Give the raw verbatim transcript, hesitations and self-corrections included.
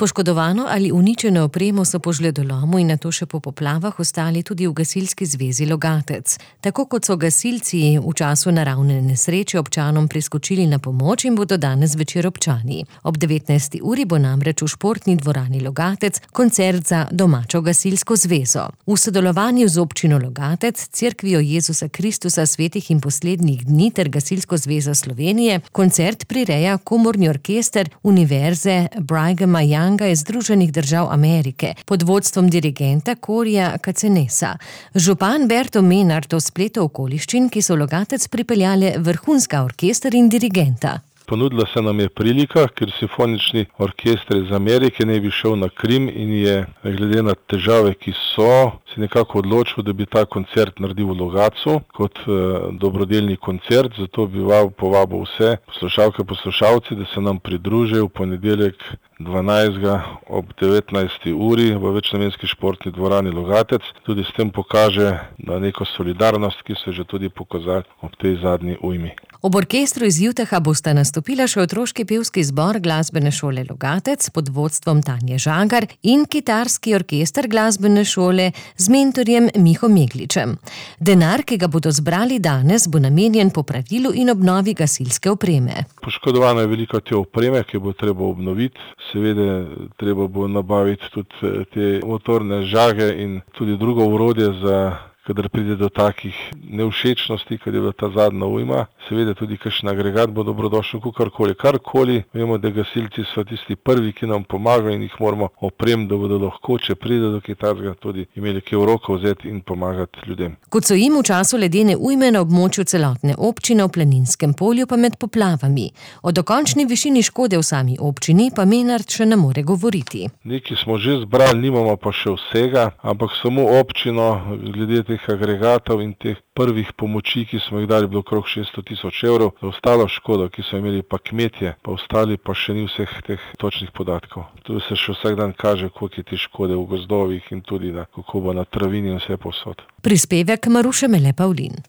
Poškodovano ali uničeno opremo so po žledolomu in nato še po poplavah ostali tudi v Gasilski zvezi Logatec. Tako kot so gasilci v času naravne nesreče občanom priskočili na pomoč, in bodo danes zvečer občani. Ob devetnajsti uri bo namreč v športni dvorani Logatec koncert za domačo gasilsko zvezo. V sodelovanju z občino Logatec, Cerkvijo Jezusa Kristusa svetih in poslednjih dni ter Gasilsko zvezo Slovenije koncert prireja komorni orkester Univerze Brighama Younga iz Združenih držav Amerike pod vodstvom dirigenta Corija Cacenesa. Župan Berto Menard o spletu okoliščin, ki so v Logatec pripeljale vrhunska orkester in dirigenta. Ponudila se nam je prilika, ker simfonični orkester iz Amerike ne bi šel na Krim in je, glede na težave, ki so, se nekako odločil, da bi ta koncert naredil v Logatcu kot eh, dobrodelni koncert. Zato bi povabil vse poslušalke, poslušalci, da se nam pridružijo v ponedeljek dvanajstega ob devetnajsti uri v večnamenski športni dvorani Logatec. Tudi s tem pokaže na neko solidarnost, ki se je že tudi pokazala ob tej zadnji ujmi. Ob orkestru iz Utaha bosta nastopila še otroški pevski zbor Glasbene šole Logatec pod vodstvom Tanje Žagar in kitarski orkester Glasbene šole z mentorjem Miho Megličem. Denar, ki ga bodo zbrali danes, bo namenjen popravilu in obnovi gasilske opreme. Poškodovano je veliko te opreme, ki bo treba obnoviti. Seveda treba bo nabaviti tudi te motorne žage in tudi drugo orodje za kadar pride do takih nevšečnosti, kad je bila ta zadnja ujma. Seveda tudi kakšen agregat bo dobrodošel, kakorkoli, karkoli. Vemo, da gasilci so tisti prvi, ki nam pomagajo in jih moramo opremiti, da bodo lahko, če pride do kitarskega, tudi imeli kaj v roko vzeti in pomagati ljudem. Kot so jim v času ledene ujme na območju celotne občine v Planinskem polju pa med poplavami. O dokončni višini škode v sami občini pa Menard še ne more govoriti. Nekaj smo že zbrali, nimamo pa še vsega, ampak samo občino glede teh agregatov in teh prvih pomoči, ki smo jih dali, bilo okrog šeststo tisoč evrov. Za ostalo škodo, ki so imeli pa kmetje, pa ostali pa še ni vseh teh točnih podatkov. Tu se še vsak dan kaže, koliko je te škode v gozdovih in tudi da, kako bo na travini in vse povsod. Prispevek Maruše Mele Pavlin.